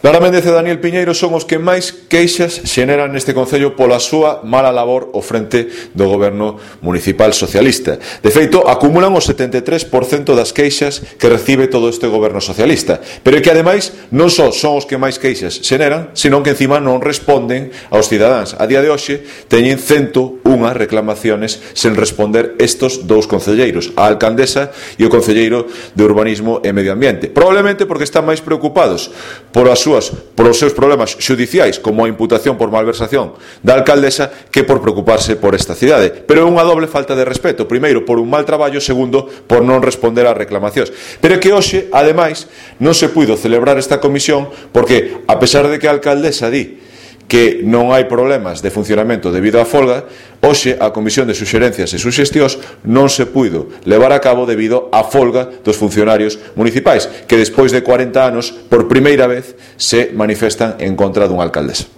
Lara Méndez e Daniel Piñeiro son os que máis queixas xeneran neste concello pola súa mala labor ao frente do goberno municipal socialista. De feito, acumulan o 73% das queixas que recibe todo este goberno socialista, pero é que ademais non só son os que máis queixas xeneran, senón que encima non responden aos cidadáns. A día de hoxe teñen 101 reclamaciones sen responder estos dous concelleiros, a alcaldesa e o concelleiro de Urbanismo e Medio Ambiente, probablemente porque están máis preocupados polos seus problemas xudiciais, como a imputación por malversación da alcaldesa, que por preocuparse por esta cidade. Pero é unha doble falta de respeto, primeiro por un mal traballo, segundo por non responder ás reclamacións. Pero é que hoxe, ademais, non se puido celebrar esta comisión porque, a pesar de que a alcaldesa di que non hai problemas de funcionamento debido á folga, hoxe a Comisión de Suxerencias e Suxestións non se puido levar a cabo debido á folga dos funcionarios municipais, que despois de 40 anos, por primeira vez, se manifestan en contra dunha alcaldesa.